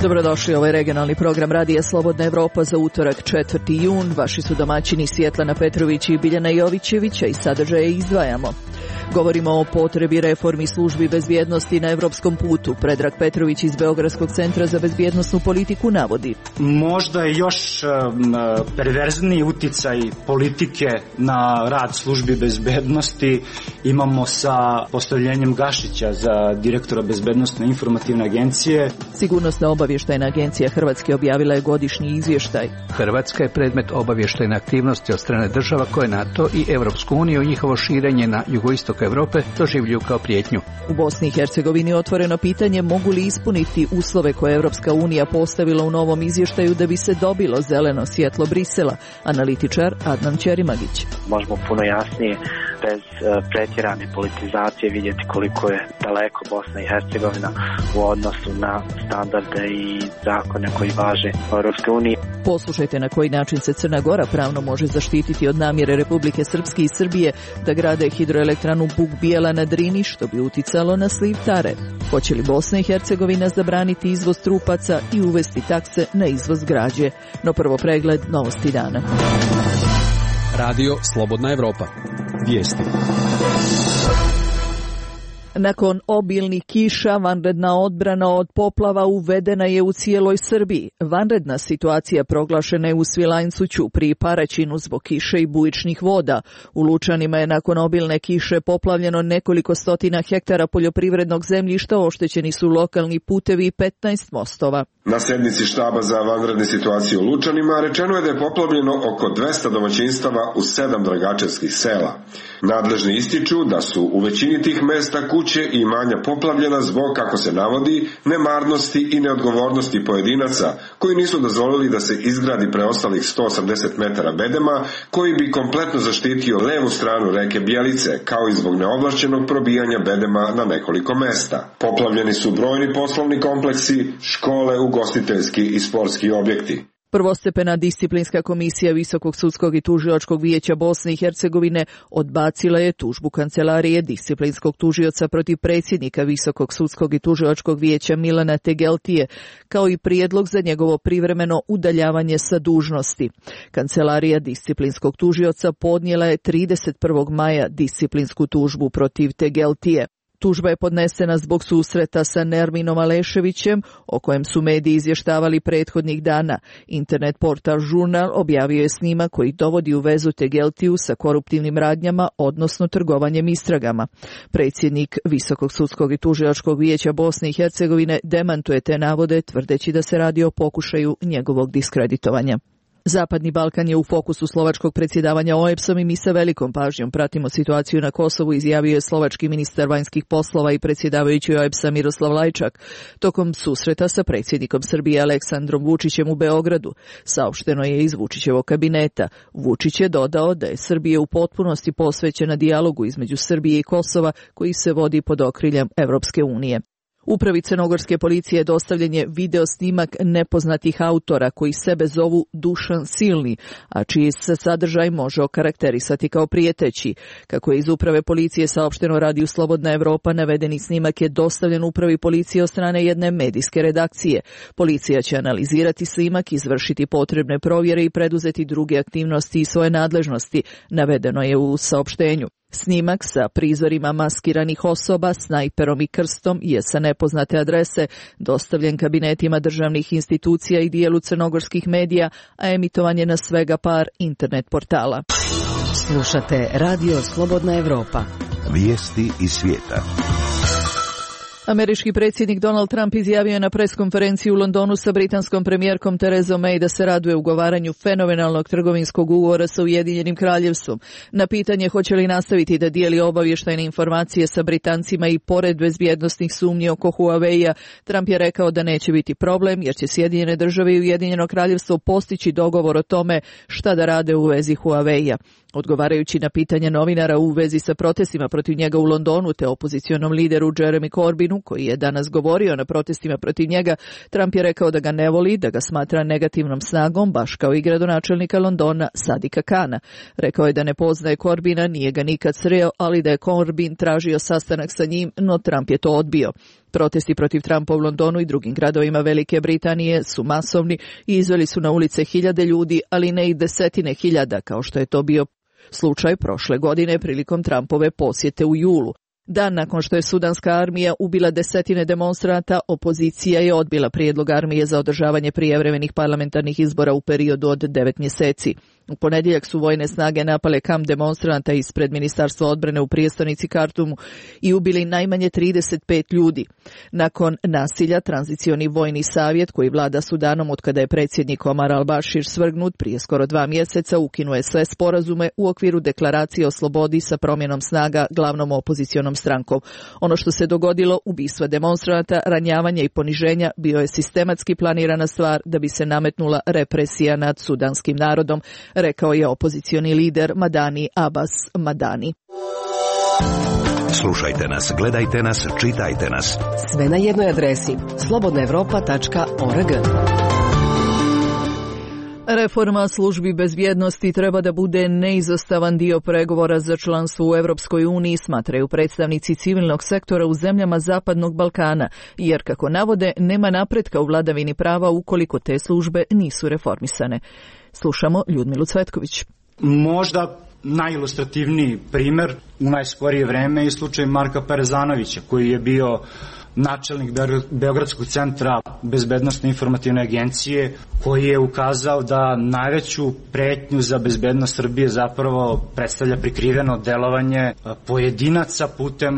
Dobrodošli, ovo je regionalni program Radija Slobodna Evropa za utorak 4. jun. Vaši su domaćini Svjetlana Petrović i Biljana Jovićevića i sadržaje izdvajamo. Govorimo o potrebi reformi službi bezbjednosti na evropskom putu. Predrag Petrović iz Beogradskog centra za bezbjednosnu politiku navodi. Možda je još perverzniji uticaj politike na rad službi bezbjednosti imamo sa postavljenjem Gašića za direktora Bezbjednosne informativne agencije. Sigurnosna obavještajna agencija Hrvatske objavila je godišnji izvještaj. Hrvatska je predmet obavještajne aktivnosti od strane država koje NATO i Europsku uniju i njihovo širenje na jugoistok Europe doživljuju kao prijetnju. U Bosni i Hercegovini otvoreno pitanje mogu li ispuniti uslove koje Europska unija postavila u novom izvještaju da bi se dobilo zeleno svjetlo Brisela, analitičar Adnan Ćerimagić. Možemo puno jasnije, bez pretjerane politizacije vidjeti koliko je daleko Bosna i Hercegovina u odnosu na standarde i zakone koji važe u Europskoj uniji. Poslušajte na koji način se Crna Gora pravno može zaštititi od namjere Republike Srpske i Srbije da grade hidroelektranu Buk Bijela na Drini, što bi uticalo na sliv Tare. Hoće li Bosna i Hercegovina zabraniti izvoz trupaca i uvesti takse na izvoz građe? No prvo pregled novosti dana. Radio Slobodna Evropa. Vijesti. Nakon obilnih kiša, vanredna odbrana od poplava uvedena je u cijeloj Srbiji. Vanredna situacija proglašena je u Svilajncu, Ćupriji i Paraćinu zbog kiše i bujičnih voda. U Lučanima je nakon obilne kiše poplavljeno nekoliko stotina hektara poljoprivrednog zemljišta, oštećeni su lokalni putevi i 15 mostova. Na sjednici štaba za vanredne situacije u Lučanima rečeno je da je poplavljeno oko 200 domaćinstava u 7 dragačevskih sela. Nadležni ističu da su u većini tih mesta kuće i imanja poplavljena zbog, kako se navodi, nemarnosti i neodgovornosti pojedinaca koji nisu dozvolili da se izgradi preostalih 180 metara bedema koji bi kompletno zaštitio levu stranu reke Bjelice, kao i zbog neovlašćenog probijanja bedema na nekoliko mesta. Poplavljeni su brojni poslovni kompleksi, škole, ugostiteljski i sportski objekti. Prvostepena disciplinska komisija Visokog sudskog i tužilačkog vijeća Bosne i Hercegovine odbacila je tužbu kancelarije disciplinskog tužioca protiv predsjednika Visokog sudskog i tužilačkog vijeća Milana Tegeltije, kao i prijedlog za njegovo privremeno udaljavanje sa dužnosti. Kancelarija disciplinskog tužioca podnijela je 31. maja disciplinsku tužbu protiv Tegeltije. Tužba je podnesena zbog susreta sa Nerminom Aleševićem, o kojem su mediji izvještavali prethodnih dana. Internet portal Žurnal objavio je snimak koji dovodi u vezu Tegeltiju sa koruptivnim radnjama, odnosno trgovanjem istragama. Predsjednik Visokog sudskog i tužilačkog vijeća Bosne i Hercegovine demantuje te navode, tvrdeći da se radi o pokušaju njegovog diskreditovanja. Zapadni Balkan je u fokusu slovačkog predsjedavanja OEBS-om i mi sa velikom pažnjom pratimo situaciju na Kosovu, izjavio je slovački ministar vanjskih poslova i predsjedavajući OEBS-a Miroslav Lajčak tokom susreta sa predsjednikom Srbije Aleksandrom Vučićem u Beogradu. Saopšteno je iz Vučićevog kabineta. Vučić je dodao da je Srbija u potpunosti posvećena dijalogu između Srbije i Kosova koji se vodi pod okriljem Evropske unije. Upravi crnogorske policije dostavljen je video snimak nepoznatih autora koji sebe zovu Dušan Silni, a čiji se sadržaj može okarakterisati kao prijeteći. Kako je iz uprave policije saopšteno Radiju Slobodna Evropa, navedeni snimak je dostavljen upravi policije od strane jedne medijske redakcije. Policija će analizirati snimak, izvršiti potrebne provjere i preduzeti druge aktivnosti i svoje nadležnosti, navedeno je u saopštenju. Snimak sa prizorima maskiranih osoba, snajperom i krstom je sa nepoznate adrese dostavljen kabinetima državnih institucija i dijelu crnogorskih medija, a emitovan je na svega par internet portala. Slušate Radio Slobodna Evropa. Vijesti iz svijeta. Američki predsjednik Donald Trump izjavio je na preskonferenciji u Londonu sa britanskom premijerkom Terezom May da se raduje ugovaranju fenomenalnog trgovinskog ugovora sa Ujedinjenim Kraljevstvom. Na pitanje hoće li nastaviti da dijeli obavještajne informacije sa Britancima i pored bezbjednosnih sumnji oko Huawei-a, Trump je rekao da neće biti problem jer će Sjedinjene države i Ujedinjeno Kraljevstvo postići dogovor o tome šta da rade u vezi Huawei-a. Odgovarajući na pitanje novinara u vezi sa protestima protiv njega u Londonu te opozicionom lideru Jeremy Corbynu, koji je danas govorio na protestima protiv njega, Trump je rekao da ga ne voli, da ga smatra negativnom snagom, baš kao i gradonačelnika Londona Sadika Kana. Rekao je da ne poznaje Corbyna, nije ga nikad sreo, ali da je Corbyn tražio sastanak sa njim, no Trump je to odbio. Protesti protiv Trumpa u Londonu i drugim gradovima Velike Britanije su masovni i izveli su na ulice hiljade ljudi, ali ne i desetine hiljada, kao što je to bio slučaj prošle godine prilikom Trumpove posjete u julu. Dan nakon što je sudanska armija ubila desetine demonstranata, opozicija je odbila prijedlog armije za održavanje prijevremenih parlamentarnih izbora u periodu od 9 mjeseci. U ponedjeljak su vojne snage napale kamp demonstranata ispred Ministarstva odbrane u prijestolnici Kartumu i ubili najmanje 35 ljudi. Nakon nasilja, tranzicioni vojni savjet koji vlada Sudanom otkada je predsjednik Omar al-Bashir svrgnut prije skoro 2 mjeseca ukinuje sve sporazume u okviru deklaracije o slobodi sa promjenom snaga glavnom opozicionom strankom. Ono što se dogodilo, ubistva demonstranata, ranjavanja i poniženja, bio je sistematski planirana stvar da bi se nametnula represija nad sudanskim narodom, rekao je opozicioni lider Madani Abbas Madani. Slušajte nas, gledajte nas, čitajte nas. Sve na jednoj adresi slobodnaevropa.org. Reforma službi bezbjednosti treba da bude neizostavan dio pregovora za članstvo u Europskoj uniji, smatraju predstavnici civilnog sektora u zemljama Zapadnog Balkana, jer, kako navode, nema napretka u vladavini prava ukoliko te službe nisu reformisane. Slušamo Ljudmilu Cvetković. Možda najilustrativniji primjer u najskorije vreme je slučaj Marka Parezanovića, koji je bio načelnik Beogradskog centra bezbednosne informativne agencije, koji je ukazao da najveću pretnju za bezbednost Srbije zapravo predstavlja prikriveno delovanje pojedinaca putem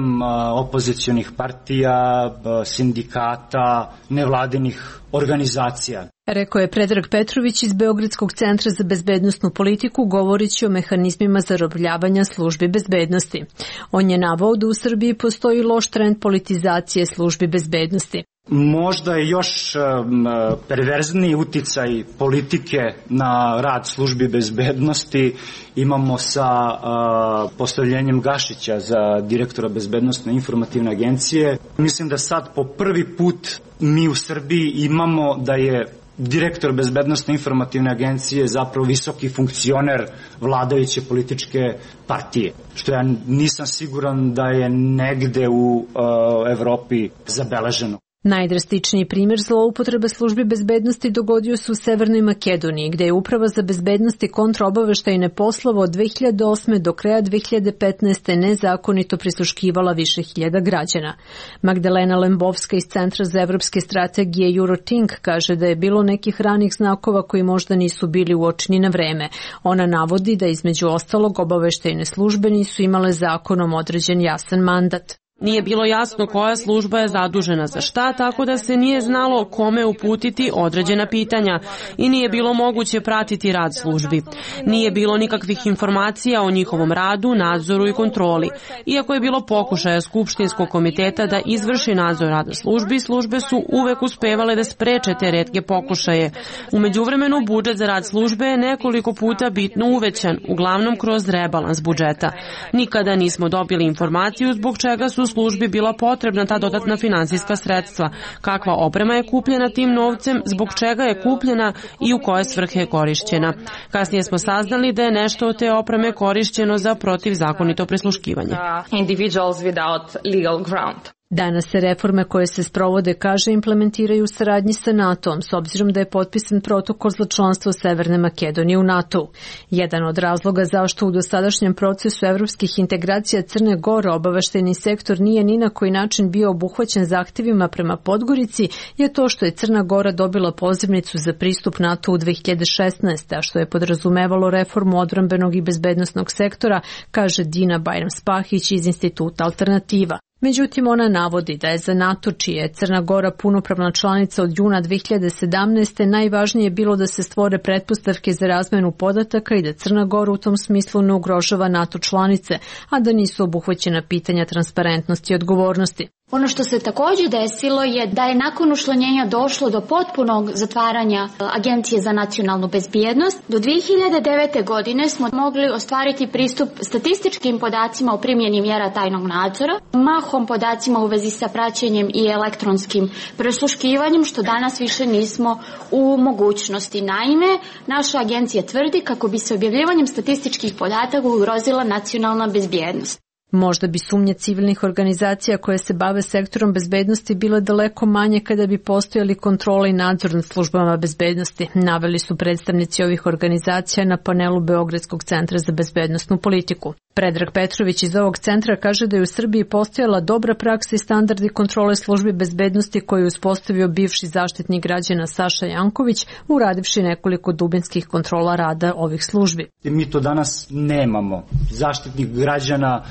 opozicionih partija, sindikata, nevladinih organizacija. Rekao je Predrag Petrović iz Beogradskog centra za bezbednosnu politiku, govoreći o mehanizmima zarobljavanja službi bezbednosti. On je naveo da u Srbiji postoji loš trend politizacije službi bezbednosti. Možda je još perverzniji uticaj politike na rad službi bezbednosti imamo sa postavljenjem Gašića za direktora bezbednosne informativne agencije. Mislim da sad po prvi put mi u Srbiji imamo da je direktor bezbednosne informativne agencije zapravo visoki funkcioner vladajuće političke partije, što ja nisam siguran da je negde u Evropi zabeleženo. Najdrastičniji primjer zloupotrebe službi bezbednosti dogodio se u Severnoj Makedoniji, gde je Uprava za bezbednost i kontraobaveštajne poslove od 2008. do kraja 2015. nezakonito prisluškivala više hiljada građana. Magdalena Lembovska iz Centra za evropske strategije Eurothink kaže da je bilo nekih ranih znakova koji možda nisu bili uočeni na vreme. Ona navodi da između ostalog obaveštajne službe nisu imale zakonom određen jasan mandat. Nije bilo jasno koja služba je zadužena za šta, tako da se nije znalo kome uputiti određena pitanja i nije bilo moguće pratiti rad službi. Nije bilo nikakvih informacija o njihovom radu, nadzoru i kontroli. Iako je bilo pokušaja Skupštinskog komiteta da izvrši nadzor rada službi, službe su uvek uspevale da spreče te retke pokušaje. U međuvremenu budžet za rad službe je nekoliko puta bitno uvećan, uglavnom kroz rebalans budžeta. Nikada nismo dobili informaciju zbog čega su službi bila potrebna ta dodatna finansijska sredstva, kakva oprema je kupljena tim novcem, zbog čega je kupljena i u koje svrhe je korišćena. Kasnije smo saznali da je nešto od te opreme korišćeno za protivzakonito prisluškivanje. Danas se reforme koje se sprovode, kaže, implementiraju u saradnji sa NATO-om, s obzirom da je potpisan protokol za članstvo Severne Makedonije u NATO-u. Jedan od razloga zašto u dosadašnjem procesu evropskih integracija Crne Gore obaveštajni sektor nije ni na koji način bio obuhvaćen zahtjevima prema Podgorici je to što je Crna Gora dobila pozivnicu za pristup NATO u 2016. a što je podrazumevalo reformu odbrambenog i bezbednosnog sektora, kaže Dina Bajram-Spahić iz Instituta Alternativa. Međutim, ona navodi da je za NATO, čija je Crna Gora punopravna članica od juna 2017. najvažnije bilo da se stvore pretpostavke za razmenu podataka i da Crna Gora u tom smislu ne ugrožava NATO članice, a da nisu obuhvaćena pitanja transparentnosti i odgovornosti. Ono što se također desilo je da je nakon učlanjenja došlo do potpunog zatvaranja Agencije za nacionalnu bezbjednost. Do 2009. godine smo mogli ostvariti pristup statističkim podacima o primjeni mjera tajnog nadzora, mahom podacima u vezi sa praćenjem i elektronskim prisluškivanjem, što danas više nismo u mogućnosti. Naime, naša agencija tvrdi kako bi se objavljivanjem statističkih podataka ugrozila nacionalna bezbjednost. Možda bi sumnje civilnih organizacija koje se bave sektorom bezbednosti bile daleko manje kada bi postojali kontrole i nadzor nad službama bezbednosti, naveli su predstavnici ovih organizacija na panelu Beogradskog centra za bezbednosnu politiku. Predrag Petrović iz ovog centra kaže da je u Srbiji postojala dobra praksa i standardi kontrole službi bezbednosti koju je uspostavio bivši zaštitnik građana Saša Janković, uradivši nekoliko dubinskih kontrola rada ovih službi. Mi to danas nemamo. Zaštitnik građana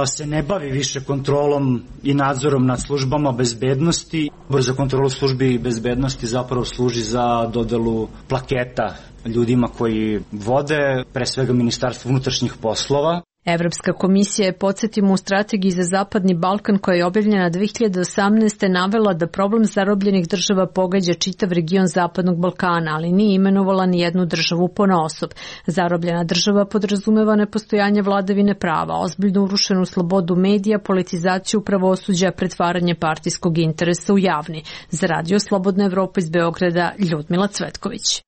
se ne bavi više kontrolom i nadzorom nad službama bezbednosti. Odbor za kontrolu službi bezbednosti zapravo služi za dodelu plaketa ljudima koji vode, pre svega Ministarstvo unutrašnjih poslova. Evropska komisija je, podsjetimo, u strategiji za Zapadni Balkan koja je objavljena 2018. navela da problem zarobljenih država pogađa čitav region Zapadnog Balkana, ali nije imenovala ni jednu državu ponaosob. Zarobljena država podrazumeva nepostojanje vladavine prava, ozbiljno urušenu slobodu medija, politizaciju pravosuđa, pretvaranje partijskog interesa u javni. Za Radio Slobodna Evropa iz Beograda, Ljudmila Cvetković.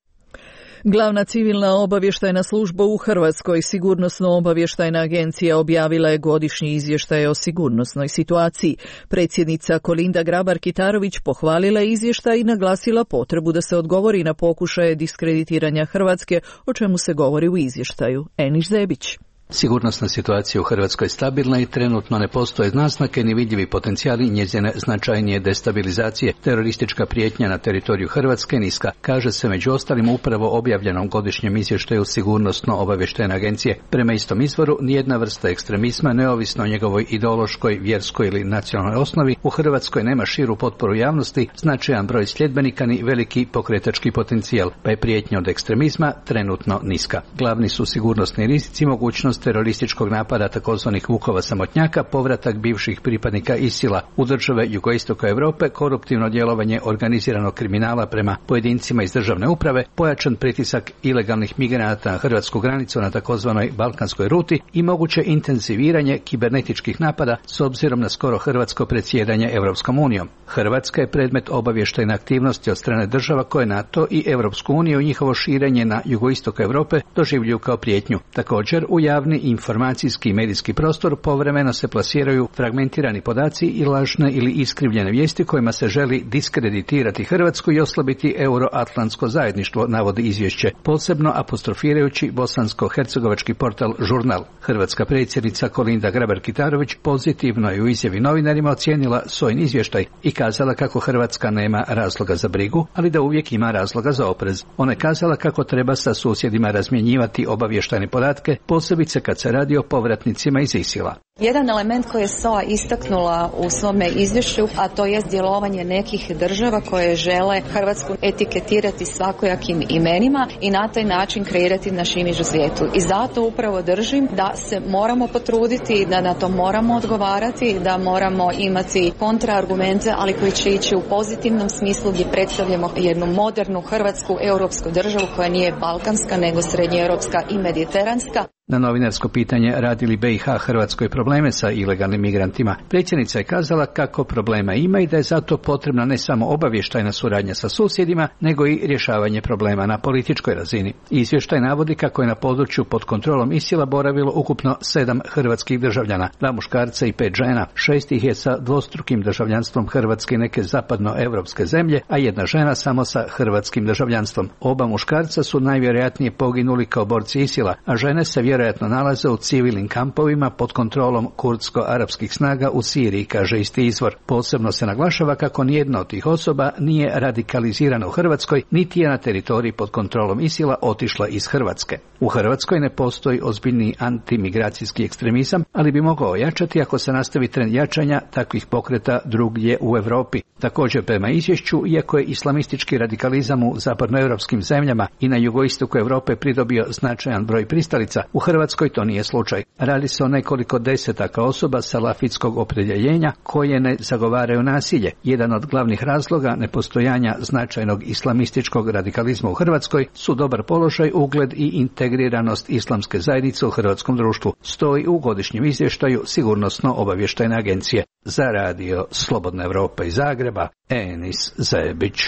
Glavna civilna obavještajna služba u Hrvatskoj, Sigurnosno-obavještajna agencija, objavila je godišnji izvještaj o sigurnosnoj situaciji. Predsjednica Kolinda Grabar-Kitarović pohvalila izvještaj i naglasila potrebu da se odgovori na pokušaje diskreditiranja Hrvatske, o čemu se govori u izvještaju. Eniš Zebić. Sigurnosna situacija u Hrvatskoj je stabilna i trenutno ne postoje naznake ni vidljivi potencijali njezine značajnije destabilizacije. Teroristička prijetnja na teritoriju Hrvatske niska, kaže se među ostalim upravo objavljenom godišnjem izvještaju Sigurnosno-obavještajne agencije. Prema istom izvoru, nijedna vrsta ekstremizma, neovisno o njegovoj ideološkoj, vjerskoj ili nacionalnoj osnovi, u Hrvatskoj nema širu potporu javnosti, značajan broj sljedbenika ni veliki pokretački potencijal, pa je prijetnja od ekstremizma trenutno niska. Glavni su sigurnosni rizici, mogućnost terorističkog napada takozvanih vukova samotnjaka, povratak bivših pripadnika ISIL-a u države jugoistoka Europe, koruptivno djelovanje organiziranog kriminala prema pojedincima iz državne uprave, pojačan pritisak ilegalnih migranata na hrvatsku granicu na takozvanoj balkanskoj ruti i moguće intenziviranje kibernetičkih napada s obzirom na skoro hrvatsko predsjedanje Europskom unijom. Hrvatska je predmet obavještajne aktivnosti od strane država koje NATO i Europsku uniju i njihovo širenje na jugoistok Europe doživljuju kao prijetnju. Također, u javni informacijski i medijski prostor povremeno se plasiraju fragmentirani podaci i lažne ili iskrivljene vijesti kojima se želi diskreditirati Hrvatsku i oslabiti euroatlantsko zajedništvo, navodi izvješće, posebno apostrofirajući bosansko-hercegovački portal Žurnal. Hrvatska predsjednica Kolinda Grabar-Kitarović pozitivno je u izjavi novinarima ocijenila svoj izvještaj i kazala kako Hrvatska nema razloga za brigu, ali da uvijek ima razloga za oprez. Ona je kazala kako treba sa susjedima razmjenjivati obavještajne podatke, posebice kad se radi o povratnicima iz ISIL-a. Jedan element koji je SOA istaknula u svome izvješću, a to je djelovanje nekih država koje žele Hrvatsku etiketirati svakojakim imenima i na taj način kreirati naš imidž u svijetu. I zato upravo držim da se moramo potruditi, da na to moramo odgovarati, da moramo imati kontraargumente, ali koji će ići u pozitivnom smislu gdje predstavljamo jednu modernu hrvatsku europsku državu koja nije balkanska nego srednjoeuropska i mediteranska. Na novinarsko pitanje radi li BiH Hrvatskoj probleme sa ilegalnim migrantima, predsjednica je kazala kako problema ima i da je zato potrebna ne samo obavještajna suradnja sa susjedima, nego i rješavanje problema na političkoj razini. Izvještaj navodi kako je na području pod kontrolom ISIL-a boravilo ukupno 7 hrvatskih državljana, 2 muškarca i 5 žena, 6 ih je sa dvostrukim državljanstvom Hrvatske i neke zapadnoevropske zemlje, a 1 žena samo sa hrvatskim državljanstvom. Oba muškarca su najvjerojatnije poginuli kao borci ISIL-a, a žene se vjerojatno nalaze u civilnim kampovima pod kontrolom kurdsko-arapskih snaga u Siriji, kaže isti izvor. Posebno se naglašava kako nijedna od tih osoba nije radikalizirana u Hrvatskoj, niti je na teritoriji pod kontrolom ISIL-a otišla iz Hrvatske. U Hrvatskoj ne postoji ozbiljni antimigracijski ekstremizam, ali bi mogao ojačati ako se nastavi trend jačanja takvih pokreta drugdje u Europi. Također, prema izvješću, iako je islamistički radikalizam u zapadnoevropskim zemljama i na jugoistoku Europe pridobio značajan broj pristalica, u Hrvatskoj to nije slučaj. Radi se o nekoliko desetaka osoba salafitskog opredjeljenja koje ne zagovaraju nasilje. Jedan od glavnih razloga nepostojanja značajnog islamističkog radikalizma u Hrvatskoj su dobar položaj, ugled i integriranost islamske zajednice u hrvatskom društvu, stoji u godišnjem izvještaju Sigurnosno-obavještajne agencije. Za Radio Slobodna Evropa iz Zagreba, Enis Zebić.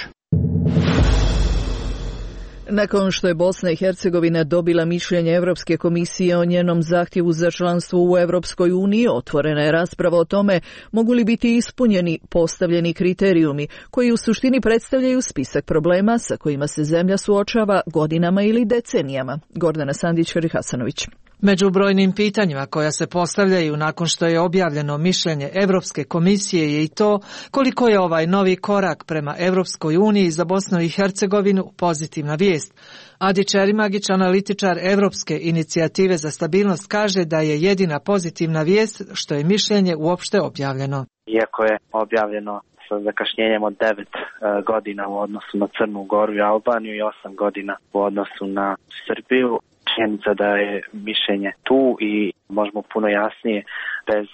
Nakon što je Bosna i Hercegovina dobila mišljenje Europske komisije o njenom zahtjevu za članstvo u Europskoj uniji, otvorena je rasprava o tome mogu li biti ispunjeni postavljeni kriterijumi koji u suštini predstavljaju spisak problema sa kojima se zemlja suočava godinama ili decenijama. Gordana Sandić-Hadžihasanović. Među brojnim pitanjima koja se postavljaju nakon što je objavljeno mišljenje Europske komisije je i to koliko je ovaj novi korak prema Europskoj uniji za Bosnu i Hercegovinu pozitivna vijest. Adi Čerimagić, analitičar Europske inicijative za stabilnost, kaže da je jedina pozitivna vijest što je mišljenje uopšte objavljeno. Iako je objavljeno sa zakašnjenjem od 9 godina u odnosu na Crnu Goru i Albaniju i 8 godina u odnosu na Srbiju, činjenica da je mišljenje tu i možemo puno jasnije bez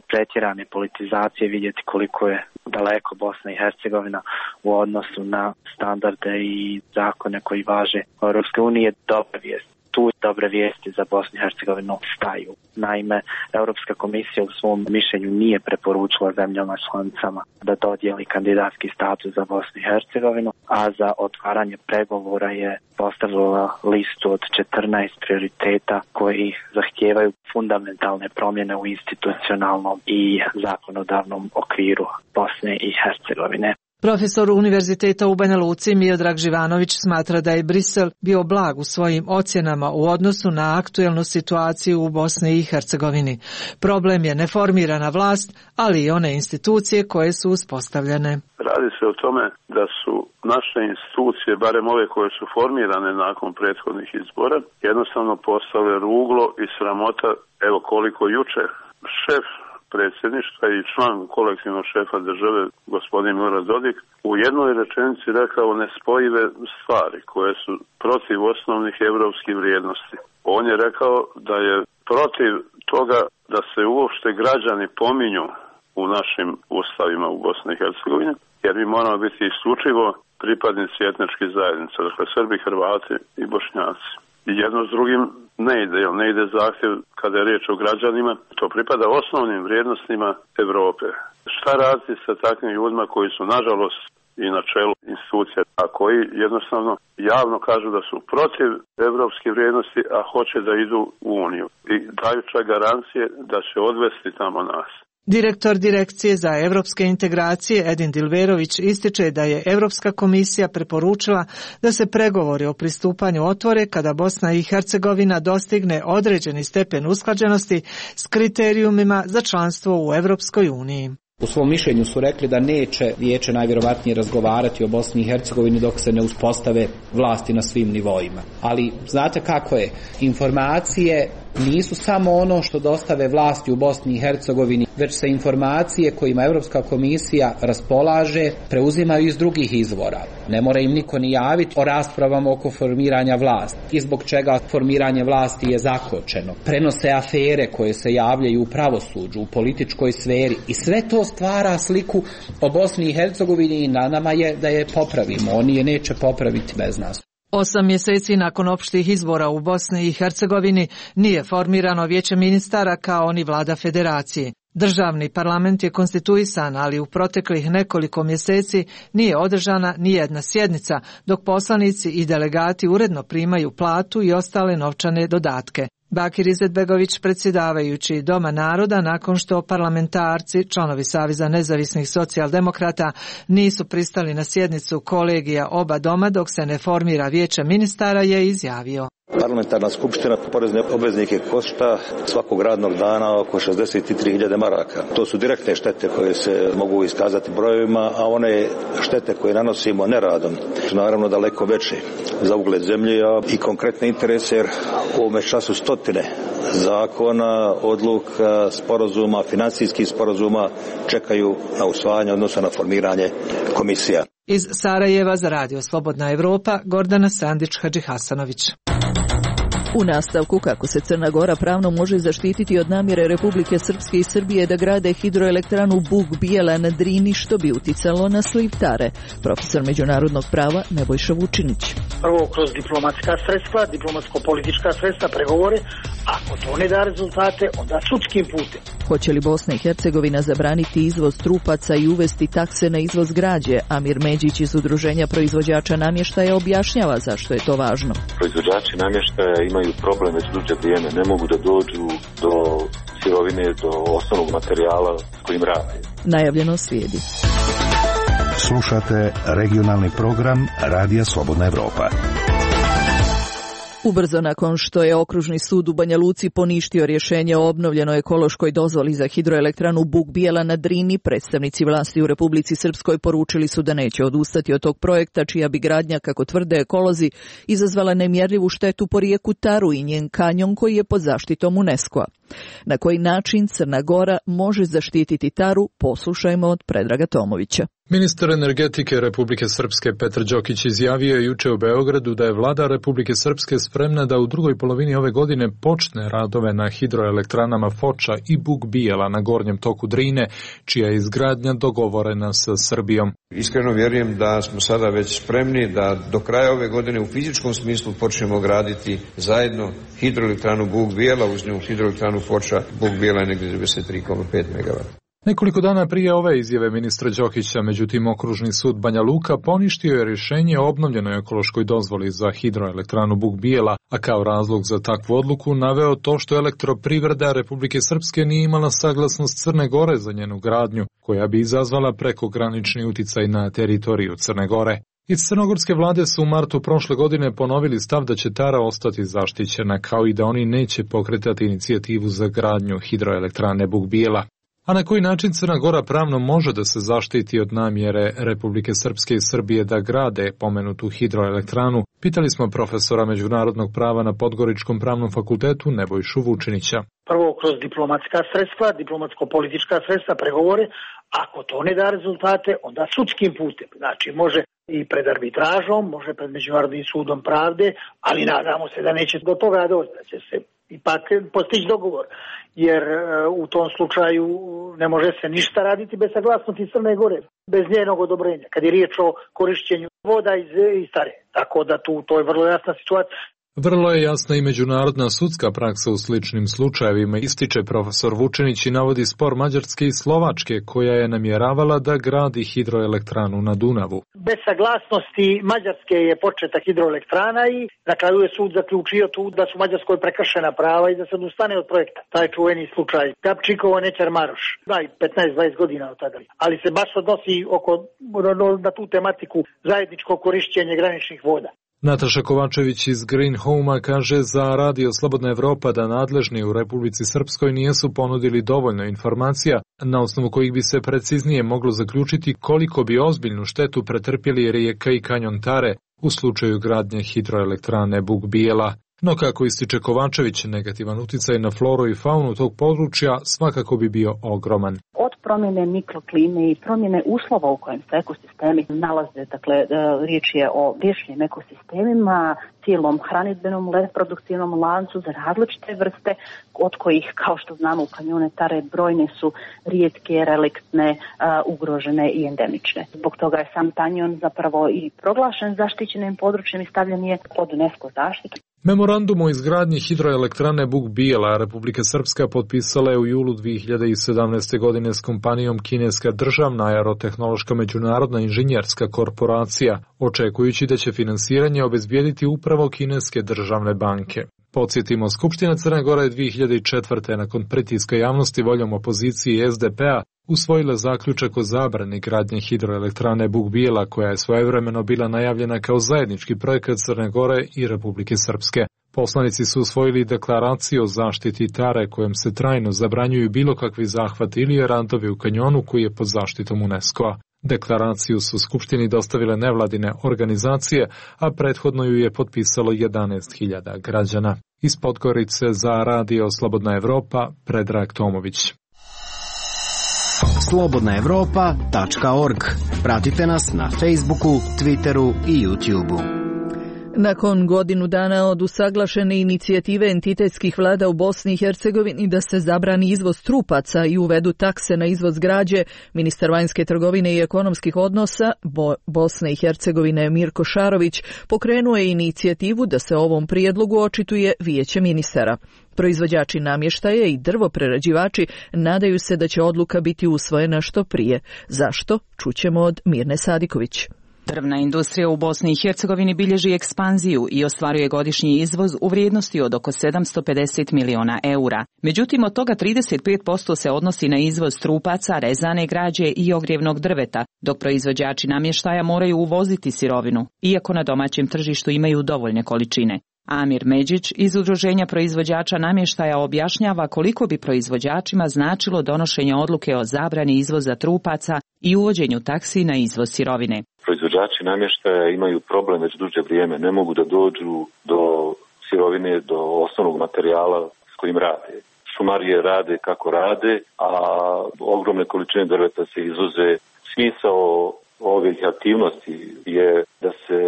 pretjerane politizacije vidjeti koliko je daleko Bosna i Hercegovina u odnosu na standarde i zakone koji važe u Europskoj uniji. Dobra vijest. Tu dobre vijesti za Bosnu i Hercegovinu staju. Naime, Europska komisija u svom mišljenju nije preporučila zemljama članicama da dodijeli kandidatski status za Bosnu i Hercegovinu, a za otvaranje pregovora je postavila listu od 14 prioriteta koji zahtijevaju fundamentalne promjene u institucionalnom i zakonodavnom okviru Bosne i Hercegovine. Profesor Univerziteta u Banja Luci Miodrag Živanović smatra da je Brisel bio blag u svojim ocjenama u odnosu na aktuelnu situaciju u Bosni i Hercegovini. Problem je neformirana vlast, ali i one institucije koje su uspostavljene. Radi se o tome da su naše institucije, barem ove koje su formirane nakon prethodnih izbora, jednostavno postale ruglo i sramota, evo koliko juče šef predsjedništva i član kolektivnog šefa države, gospodin Milorad Dodik, u jednoj rečenici rekao nespojive stvari koje su protiv osnovnih europskih vrijednosti. On je rekao da je protiv toga da se uopšte građani pominju u našim ustavima u Bosni i Hercegovini, jer mi moramo biti isključivo pripadnici etničkih zajednica, dakle Srbi, Hrvati i Bošnjaci. I jedno s drugim ne ide zahtjev kada je riječ o građanima, to pripada osnovnim vrijednostima Europe. Šta raditi sa takvim ljudima koji su nažalost i na čelu institucija, a koji jednostavno javno kažu da su protiv evropskih vrijednosti, a hoće da idu u Uniju i daju čak garancije da će odvesti tamo nas. Direktor Direkcije za evropske integracije Edin Dilverović ističe da je Europska komisija preporučila da se pregovori o pristupanju otvore kada Bosna i Hercegovina dostigne određeni stepen usklađenosti s kriterijumima za članstvo u Europskoj uniji. U svom mišljenju su rekli da neće vijeće najvjerovatnije razgovarati o Bosni i Hercegovini dok se ne uspostave vlasti na svim nivoima. Ali znate kako je? Informacije nisu samo ono što dostave vlasti u Bosni i Hercegovini, već se informacije kojima Europska komisija raspolaže preuzimaju iz drugih izvora. Ne mora im niko ni javiti o raspravama oko formiranja vlasti i zbog čega formiranje vlasti je zakočeno. Prenose afere koje se javljaju u pravosuđu, u političkoj sferi i sve to stvara sliku o Bosni i Hercegovini i na nama je da je popravimo. Oni je neće popraviti bez nas. 8 mjeseci nakon opštih izbora u Bosni i Hercegovini nije formirano vijeće ministara kao ni vlada federacije. Državni parlament je konstituisan, ali u proteklih nekoliko mjeseci nije održana ni jedna sjednica, dok poslanici i delegati uredno primaju platu i ostale novčane dodatke. Bakir Izetbegović, predsjedavajući Doma naroda, nakon što parlamentarci, članovi Saveza nezavisnih socijaldemokrata, nisu pristali na sjednicu kolegija oba doma dok se ne formira vijeće ministara, je izjavio. Parlamentarna skupština porezne obveznike košta svakog radnog dana oko 63.000 maraka. To su direktne štete koje se mogu iskazati brojevima, a one štete koje nanosimo neradom su naravno daleko veće za ugled zemlje i konkretne interese, jer u ovome času stotine zakona, odluka, sporazuma, financijskih sporazuma čekaju na usvajanje, odnosno na formiranje komisija. Iz Sarajeva za Radio Slobodna Evropa, Gordana Sandić-Hadžihasanović. U nastavku kako se Crna Gora pravno može zaštititi od namjere Republike Srpske i Srbije da grade hidroelektranu Bug Bijela na Drini, što bi uticalo na sliv Tare. Profesor međunarodnog prava Nebojša Vučinić. Prvo kroz diplomatska sredstva, diplomatsko-politička sredstva, pregovore, Ako to ne da rezultate, onda sudskim putem. Hoće li Bosna i Hercegovina zabraniti izvoz trupaca i uvesti takse na izvoz građe? Amir Međić iz Udruženja proizvođača namještaja objašnjava zašto je to važno. Proizvođači namještaja imaju problem već duže vrijeme, ne mogu da dođu do sirovine, do osnovnog materijala s kojim rade. Najavljeno slijedi. Slušate regionalni program Radija Slobodna Evropa. Ubrzo nakon što je Okružni sud u Banja Luci poništio rješenje o obnovljenoj ekološkoj dozvoli za hidroelektranu Buk Bijela na Drini, predstavnici vlasti u Republici Srpskoj poručili su da neće odustati od tog projekta, čija bi gradnja, kako tvrde ekolozi, izazvala nemjerljivu štetu po rijeku Taru i njen kanjon koji je pod zaštitom UNESCO-a. Na koji način Crna Gora može zaštititi Taru, poslušajmo od Predraga Tomovića. Ministar energetike Republike Srpske Petar Đokić izjavio je juče u Beogradu da je vlada Republike Srpske spremna da u drugoj polovini ove godine počne radove na hidroelektranama Foča i Buk Bijela na gornjem toku Drine, čija je izgradnja dogovorena sa Srbijom. Iskreno vjerujem da smo sada već spremni da do kraja ove godine u fizičkom smislu počnemo graditi zajedno hidroelektranu Buk Bijela, uz nju hidroelektranu Foča. Buk Bijela je negdje 93,5 MW. Nekoliko dana prije ove izjave ministra Đokića, međutim, Okružni sud Banja Luka poništio je rješenje o obnovljenoj ekološkoj dozvoli za hidroelektranu Buk Bijela, a kao razlog za takvu odluku naveo to što elektroprivreda Republike Srpske nije imala saglasnost Crne Gore za njenu gradnju, koja bi izazvala prekogranični uticaj na teritoriju Crne Gore. Iz crnogorske vlade su u martu prošle godine ponovili stav da će Tara ostati zaštićena, kao i da oni neće pokretati inicijativu za gradnju hidroelektrane Buk Bijela. A na koji način Crna Gora pravno može da se zaštiti od namjere Republike Srpske i Srbije da grade pomenutu hidroelektranu, pitali smo profesora međunarodnog prava na Podgoričkom pravnom fakultetu Nebojšu Vučinića. Prvo kroz diplomatska sredstva, diplomatsko-politička sredstva, pregovore. Ako to ne da rezultate, onda sudskim putem. Znači može i pred arbitražom, može pred Međunarodnim sudom pravde, ali nadamo se da neće do toga doći, da će se ipak postići dogovor. Jer u tom slučaju ne može se ništa raditi bez saglasnosti Crne Gore, bez njenog odobrenja, kad je riječ o korišćenju voda iz Tare. Tako da to je vrlo jasna situacija. Vrlo je jasna i međunarodna sudska praksa u sličnim slučajevima, ističe profesor Vučinić i navodi spor Mađarske i Slovačke, koja je namjeravala da gradi hidroelektranu na Dunavu. Bez saglasnosti Mađarske je početa hidroelektrana i na kraju je sud zaključio tu da su Mađarskoj prekršena prava i da se odustane od projekta. Taj čuveni slučaj Kapčikovo Nećar Maroš, 15-20 godina od tada. Ali se baš odnosi na tu tematiku zajedničko korišćenje graničnih voda. Nataša Kovačević iz Green Home-a kaže za Radio Slobodna Evropa da nadležni u Republici Srpskoj nisu ponudili dovoljno informacija na osnovu kojih bi se preciznije moglo zaključiti koliko bi ozbiljnu štetu pretrpjeli rijeka i kanjon Tare u slučaju gradnje hidroelektrane Buk Bijela. No kako ističe Kovačević, negativan uticaj na floru i faunu tog područja svakako bi bio ogroman. Od promjene mikroklime i promjene uslova u kojem se ekosistemi nalaze, dakle riječ je o vječnim ekosistemima, cijelom hranidbenom, reproduktivnom lancu za različite vrste, od kojih, kao što znamo, u kanjone Tare brojne su rijetke, reliktne, ugrožene i endemične. Zbog toga je sam kanjon zapravo i proglašen zaštićenim područjem i stavljen je pod UNESCO zaštitu. Memorandum o izgradnji hidroelektrane Buk Bijela Republika Srpska potpisala je u julu 2017. godine s kompanijom kineska državna aerotehnološka međunarodna inženjerska korporacija, očekujući da će finansiranje obezbijediti upravo kineske državne banke. Podsjetimo, Skupština Crne Gore 2004. nakon pritiska javnosti voljom opozicije i SDP-a usvojila zaključak o zabrani gradnje hidroelektrane Buk Bijela, koja je svojevremeno bila najavljena kao zajednički projekat Crne Gore i Republike Srpske. Poslanici su usvojili deklaraciju o zaštiti Tare, kojom se trajno zabranjuju bilo kakvi zahvati ili radovi u kanjonu koji je pod zaštitom UNESCO-a. Deklaraciju su Skupštini dostavile nevladine organizacije, a prethodno ju je potpisalo 11.000 građana. Iz Podgorice za Radio Slobodna Evropa, Predrag Tomović. slobodnaevropa.org. Pratite nas na Facebooku, Twitteru i YouTubeu. Nakon godinu dana od usaglašene inicijative entitetskih vlada u Bosni i Hercegovini da se zabrani izvoz trupaca i uvedu takse na izvoz građe, ministar vanjske trgovine i ekonomskih odnosa Bosne i Hercegovine Mirko Šarović pokrenuo je inicijativu da se o ovom prijedlogu očituje Vijeće ministara. Proizvođači namještaja i drvoprerađivači nadaju se da će odluka biti usvojena što prije. Zašto? Čućemo od Mirne Sadiković. Drvna industrija u Bosni i Hercegovini bilježi ekspanziju i ostvaruje godišnji izvoz u vrijednosti od oko 750 miliona eura. Međutim, od toga 35% se odnosi na izvoz trupaca, rezane građe i ogrijevnog drveta, dok proizvođači namještaja moraju uvoziti sirovinu, iako na domaćem tržištu imaju dovoljne količine. Amir Međić iz Udruženja proizvođača namještaja objašnjava koliko bi proizvođačima značilo donošenje odluke o zabrani izvoza trupaca i uvođenju taksi na izvoz sirovine. Proizvođači namještaja imaju problem već duže vrijeme, ne mogu da dođu do sirovine, do osnovnog materijala s kojim rade. Šumarije rade kako rade, a ogromne količine drveta se izvoze. Smisao ovih aktivnosti je da se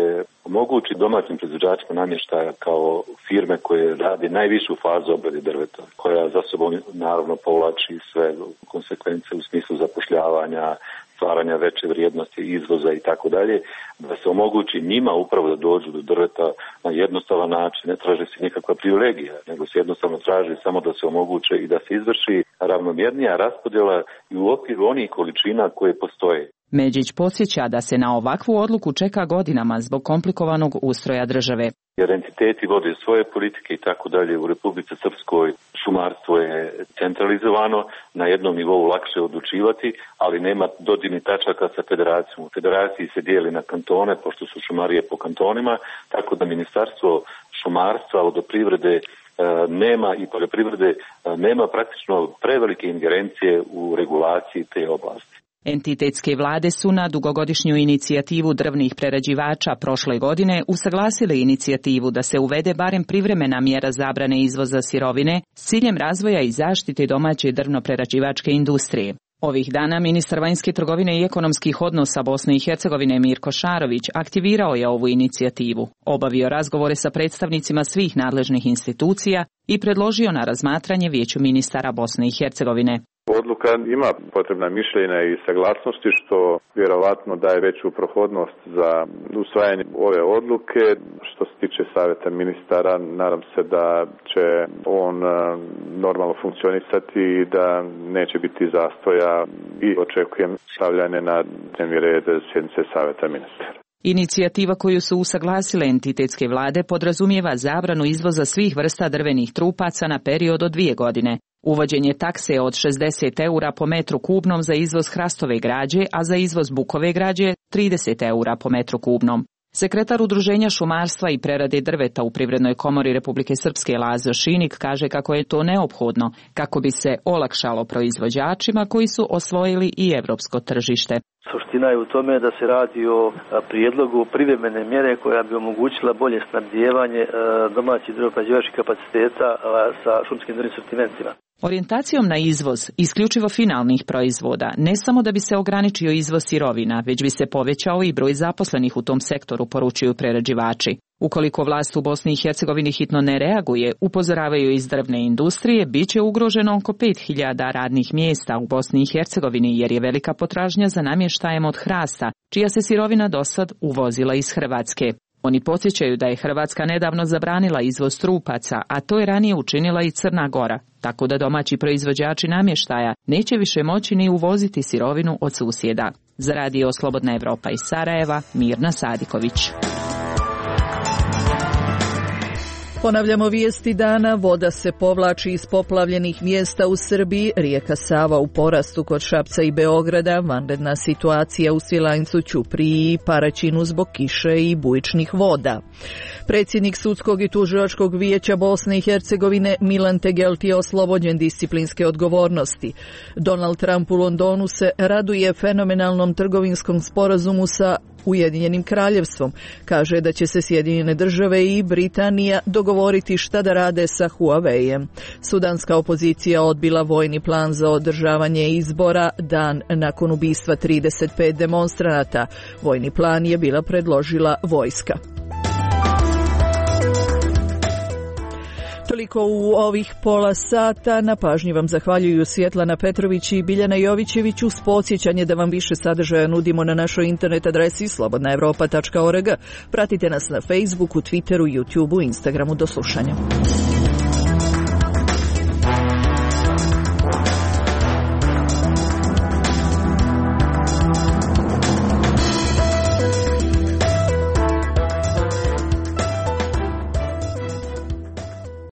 omogući domaćim proizvođačima namještaja kao firme koje rade najvišu fazu obrade drveta, koja za sobom naravno povlači sve konsekvence u smislu zapošljavanja, stvaranja veće vrijednosti izvoza i tako dalje, da se omogući njima upravo da dođu do drveta na jednostavan način. Ne traži se nikakva privilegija, nego se jednostavno traži samo da se omoguće i da se izvrši ravnomjernija raspodjela i u okviru onih količina koje postoje. Međić podsjeća da se na ovakvu odluku čeka godinama zbog komplikovanog ustroja države. Jer entiteti vode svoje politike i tako dalje. U Republici Srpskoj šumarstvo je centralizovano, na jednom nivou lakše odlučivati, ali nema dodirnih tačaka sa federacijom. U federaciji se dijeli na kantone, pošto su šumarije po kantonima, tako da Ministarstvo šumarstva, vodoprivrede nema i poljoprivrede nema praktično prevelike ingerencije u regulaciji te oblasti. Entitetske vlade su na dugogodišnju inicijativu drvnih prerađivača prošle godine usaglasile inicijativu da se uvede barem privremena mjera zabrane izvoza sirovine s ciljem razvoja i zaštite domaće drvno-prerađivačke industrije. Ovih dana ministar vanjske trgovine i ekonomskih odnosa Bosne i Hercegovine Mirko Šarović aktivirao je ovu inicijativu, obavio razgovore sa predstavnicima svih nadležnih institucija i predložio na razmatranje Vijeću ministara Bosne i Hercegovine. Odluka ima potrebna mišljenja i saglasnosti, što vjerovatno daje veću prohodnost za usvajanje ove odluke. Što se tiče savjeta ministara, nadam se da će on normalno funkcionisati i da neće biti zastoja i očekujem stavljanje na dnevni red sjednice savjeta ministara. Inicijativa koju su usaglasile entitetske vlade podrazumijeva zabranu izvoza svih vrsta drvenih trupaca na period od 2 godine. Uvođenje takse od 60 eura po metru kubnom za izvoz hrastove građe, a za izvoz bukove građe 30 eura po metru kubnom. Sekretar Udruženja šumarstva i prerade drveta u Privrednoj komori Republike Srpske Lazo Šinik kaže kako je to neophodno, kako bi se olakšalo proizvođačima koji su osvojili i evropsko tržište. Suština je u tome da se radi o prijedlogu privremene mjere koja bi omogućila bolje snabdijevanje domaćih drvoprerađivačkih kapaciteta sa šumskim drvnim sortimentima. Orijentacijom na izvoz isključivo finalnih proizvoda, ne samo da bi se ograničio izvoz sirovina, već bi se povećao i broj zaposlenih u tom sektoru, poručuju prerađivači. Ukoliko vlast u Bosni i Hercegovini hitno ne reaguje, upozoravaju iz drvne industrije, bit će ugroženo oko 5000 radnih mjesta u Bosni i Hercegovini jer je velika potražnja za namještajem od hrasta, čija se sirovina dosad uvozila iz Hrvatske. Oni podsjećaju da je Hrvatska nedavno zabranila izvoz trupaca, a to je ranije učinila i Crna Gora, tako da domaći proizvođači namještaja neće više moći ni uvoziti sirovinu od susjeda. Za Radio Slobodna Evropa iz Sarajeva, Mirna Sadiković. Ponavljamo vijesti dana, voda se povlači iz poplavljenih mjesta u Srbiji, rijeka Sava u porastu kod Šapca i Beograda, vanredna situacija u Svilajncu, Ćupriji i Paraćinu zbog kiše i bujičnih voda. Predsjednik Sudskog i tužilačkog vijeća Bosne i Hercegovine Milan Tegelti je oslobođen disciplinske odgovornosti. Donald Trump u Londonu se raduje fenomenalnom trgovinskom sporazumu sa Ujedinjenim kraljevstvom. Kaže da će se Sjedinjene države i Britanija dogovoriti šta da rade sa Huaweijem. Sudanska opozicija odbila vojni plan za održavanje izbora dan nakon ubistva 35 demonstranata. Vojni plan je bila predložila vojska. Toliko u ovih pola sata. Na pažnji vam zahvaljuju Svjetlana Petrović i Biljana Jovićević. Uz podsjećanje da vam više sadržaja nudimo na našoj internet adresi slobodnaevropa.org. Pratite nas na Facebooku, Twitteru, YouTubeu, Instagramu. Do slušanja.